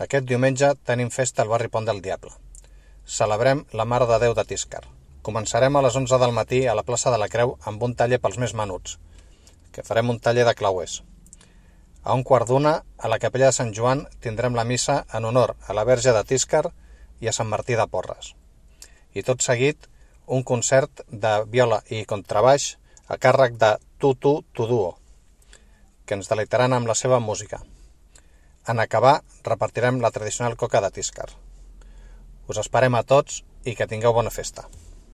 Aquest diumenge tenim festa al barri Pont del Diable. Celebrem la Mare de Déu de Tíscar. Començarem a les 11 del matí a la plaça de la Creu amb un taller pels més menuts, que farem un taller de clauers. A 1:15, a la capella de Sant Joan, tindrem la missa en honor a la Verge de Tíscar i a Sant Martí de Porres. I tot seguit, un concert de viola i contrabaix a càrrec de Tutu Tuduo, que ens deleitaran amb la seva música. En acabar, repartirem la tradicional coca de Tíscar. Us esperem a tots i que tingueu bona festa.